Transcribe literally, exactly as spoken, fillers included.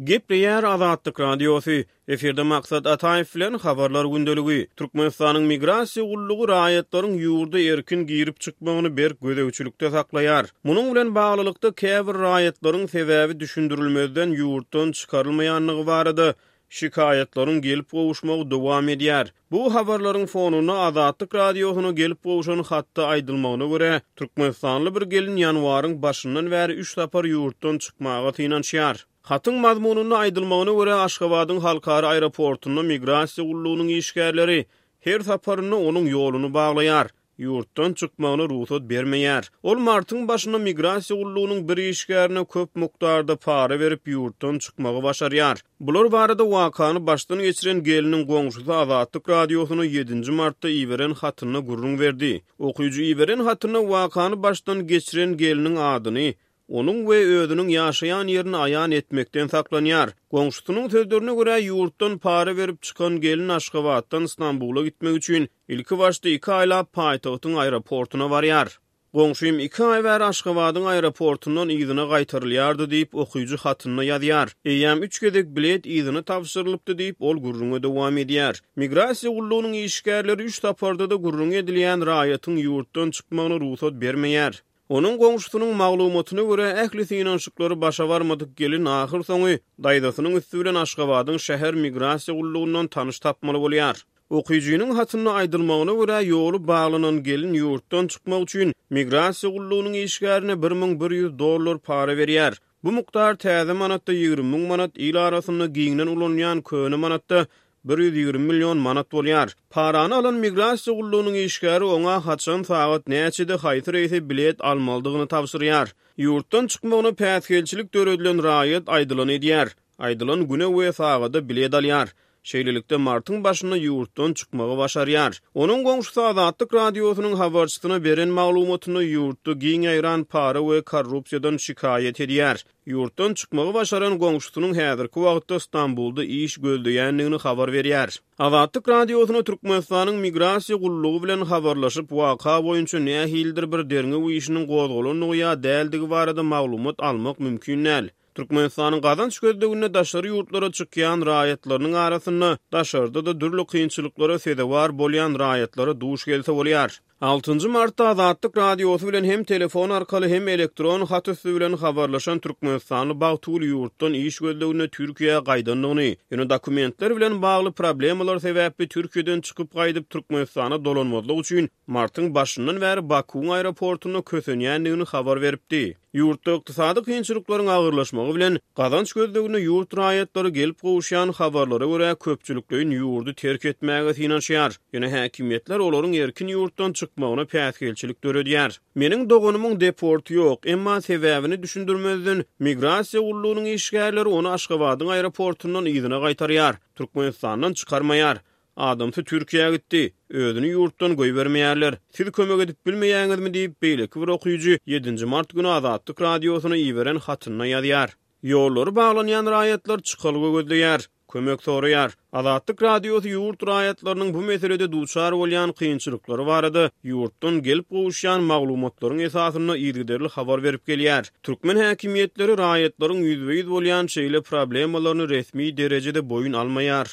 Gepleýär Azatlyk Radiosy. Efirde Maksat Ataýew bilen Habarlar gündeligi. Türkmenistanyň Migrasiýa gullugy raýatlaryň ýurda erkin girip çykmagyny berk gözegçilikde saklaýar. Munuň bilen baglylykda käbir raýatlaryň sebäbi düşündirilmezden ýurtdan çykarylmaýanlygy barada şikaýatlaryň gelip gowuşmagy dowam edýär. Bu habarlaryň fonunda Azatlyk Radiosyna gelip gowşan hatda aýdylmagyna görä, Türkmenistanly bir gelin ýanwaryň başyndan bäri üç sapar ýurtdan çykmaga synanyşýar. Hatyň mazmunynda aýdylmagyna görä, Aşgabadyň halkara aeroportunda migrasiýa gullugynyň işgärleri her saparynda onuň ýoluny baglaýar. Ýurtdan çykmagyna rugsat bermeýär. Ol martyň başynda migrasiýa gullugynyň bir işgärine köp mukdarda para berip ýurtdan çykmagy başarýar. Bular barada wakany başdan geçiren geliniň goňşusy Azatlyk Radiosyna ýedinji martda iberen hatynda gürrüň berdi. Okyjy iberen hatynda wakany başdan geçiren geliniň adyny, onuň we özüniň ýaşaýan ýerini aýan etmekden saklanýar. Goňşusynyň sözlerine görä ýurtdan para berip çykan gelin Aşgabatdan Stambula gitmek üçin ilki başda iki aýlap paýtagtyň aeroportuna barýar. Goňşym iki aý bäri Aşgabadyň aeroportundan yzyna gaýtarylýardy diýip okyjy hatynda ýazýar. Eýýäm üç gezek bilet yzyna tabşyrylypdy diýip ol gürrüňe dowam edýär. Migrasiýa gullugynyň işgärleri üç saparda-da gürrüň edilýän raýatyň ýurtdan çykmagyna rugsat bermeýär. Onuň goňşusynyň maglumatyna görä ähli synanyşyklary başa barmadyk gelin ahyr soňy daýzasynyň üsti bilen Aşgabadyň şäher migrasiýa gullugyndan tanyş tapmaly bolýar. Okyjynyň hatynda aýdylmagyna görä ýoly baglanan gelin ýurtdan çykmak üçin migrasiýa gullugynyň işgärine bir müň bir ýüz dollar para berýär. Bu mukdar täze manatda ýigrimi müň manat, il arasynda giňden ulanylýan köne manatda bir ýüz ýigrimi million manat bolýar. Parany alan migrasiýa gullugynyň işgäri oňa haçan sagat näçede haýsy reýse bilet almalydygyny tabşyrýar. Ýurtdan çykmagyna päsgelçilik döredilen raýat aýdylan edýär. Aýdylan güne we sagada bilet alýar. Şeýlelikde martyň başynda ýurtdan çykmagy başarýar. Onuň goňşusy Azatlyk Radiosynyň habarçysyna beren maglumatynda ýurtda giň ýaýran para we korrupsiýadan şikaýat edýär. Ýurtdan çykmagy başaran goňşusynyň häzirki wagtda Stambulda iş gözleýändigini habar berýär. Azatlyk Radiosyna Türkmenistanyň migrasiýa gullugy bilen habarlaşyp waka boýunça nähilidir bir derňew işiniň gozgalandygy ýa däldigi barada maglumat almak mümkin däl. Türkmenistanyň gazanç gözleginde daşary ýurtlara çykýan raýatlarynyň arasynda daşarda-da dürli kynçylyklara sezewar bolýan raýatlara duş gelse bolýar. Altynjy martda Azatlyk Radiosy bilen hem telefon arkaly hem elektron hat üsti bilen habarlaşan Türkmenistanly Bagtygül ýurtdan iş gözleginde Türkiýä gaýdandygyny, ýöne dokumentler bilen bagly problemalar sebäpli Türkiýeden çykyp gaýdyp Türkmenistana dolanmazlyk üçin martyň başyndan bäri Bakuwyň aeroportunda kösenýändigini habar beripdi. Ýurtda ykdysady kynçylyklaryň agyrlaşmagy bilen gazanç gözleginde ýurt raýatlary gelip gowuşýan habarlara görä köpçülikleýin ýurdy terk etmäge synanyşýar. Ýöne häkimiýetler olaryň erkin ýurtdan çykmagyna päsgelçilik döredýär. Meniň doganymyň deporty ýok, emma sebäbini düşündirmezden migrasiýa gullugynyň işgärleri ony Aşgabadyň aeroportundan yzyna gaýtarýar, Türkmenistandan çykarmaýar. Adamsy Türkiýä gitdi, özüni ýurtdan goýbermeýärler. Siz kömek edip bilmeýäňizmi diýip beýleki bir okyjy ýedinji mart güni Azatlyk Radiosyna iberen hatynda ýazýar. Ýollary baglanýan raýatlar çykalga gözleýär, kömek soraýar. Azatlyk Radiosy ýurt raýatlarynyň bu meselede duçar bolýan kynçylyklary barada ýurtdan gelip gowuşýan maglumatlaryň esasynda yzygiderli habar berip gelýär. Türkmen häkimiýetleri raýatlaryň ýüzbe-ýüz bolýan şeýle problemalaryny resmi derejede boýun almaýar.